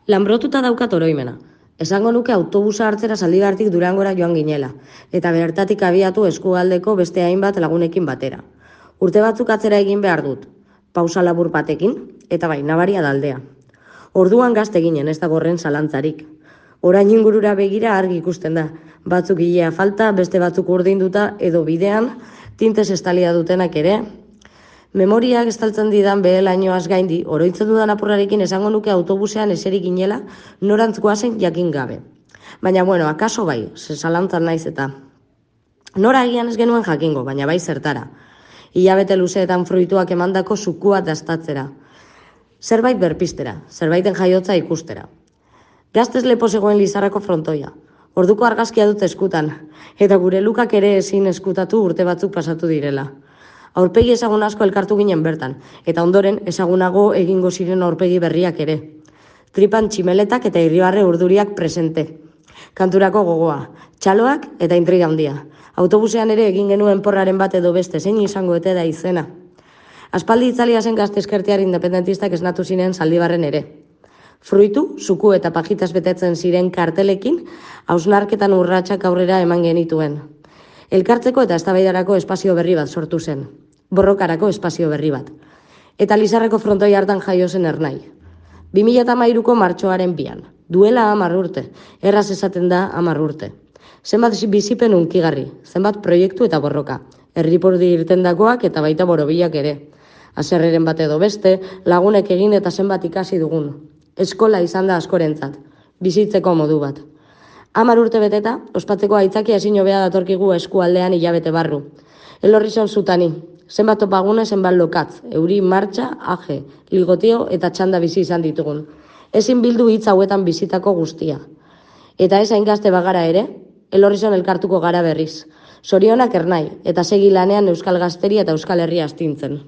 Lanbrotuta daukat oroimena. Esango nuke autobusa hartzera Zaldibartik Durangora joan ginela, eta bertatik abiatu eskualdeko beste hainbat lagunekin batera. Urte batzuk atzera egin behar dut, pausa labur batekin, eta bai, nabaria daldea. Orduan gazte ginen, ez da gorren zalantzarik. Orain ingurura begira argi ikusten da, batzuk hilea falta, beste batzuk urdinduta edo bidean, tintez estalia dutenak ere. Memoriak estaltzen didan behelainoaz gaindi, oroitzen dudan apurrarekin esango nuke autobusean eserik ginela, norantz goazen jakin gabe. Baina bueno, akaso bai, zalantzan naiz eta. Nora agian ez genuen jakingo, baina bai zertara. Hilabete luzeetan fruituak emandako sukua dastatzera. Zerbait berpistera, zerbaiten jaiotza ikustera. Gaztez lepo zegoen Lizarrako frontoia. Orduko argazkia dut eskutan, eta gure lukak ere ezin eskutatu urte batzuk pasatu direla. Aurpegi ezagun asko elkartu ginen bertan, eta ondoren ezagunago egingo ziren aurpegi berriak ere. Tripan tximeletak eta irribarre urduriak presente. Kanturako gogoa, txaloak eta intriga handia. Autobusean ere egin genuen porraren bat edo beste, zein izango ete da izena. Aspaldi itzalia zen gazte eskertiar independentistak esnatu ziren Zaldibarren ere. Fruitu, zuku eta pajitas betetzen ziren kartelekin, hausnarketan urratsak aurrera eman genituen. Elkartzeko eta eztabaidarako espazio berri bat sortu zen. Borrokarako espazio berri bat. Eta Lizarreko frontoi hartan jaio zen Ernai. 2013ko martxoaren 2. Duela 10 urte. Erraz esaten da 10 urte. Zenbat bizipen unkigarri, zenbat proiektu eta borroka. Herripurdi irtendakoak eta baita borobilak ere. Haserreren bat edo beste, lagunek egin eta zenbat ikasi dugun. Eskola izan da askorentzat. Bizitzeko modu bat. 10 urte beteta, ospatzeko aitzakia ezin hobea datorkigu eskualdean hilabete barru. Elorrizon zutani, zenbat topagune, zenbat lokatz, euri, martxa, aje, ligotio eta txanda bizi izan ditugun. Ezin bildu hitz hauetan bizitako guztia. Eta ez hain gazte bagara ere, Elorrizon elkartuko gara berriz. Zorionak Ernai, eta segi lanean Euskal Gazteria eta Euskal Herria astintzen.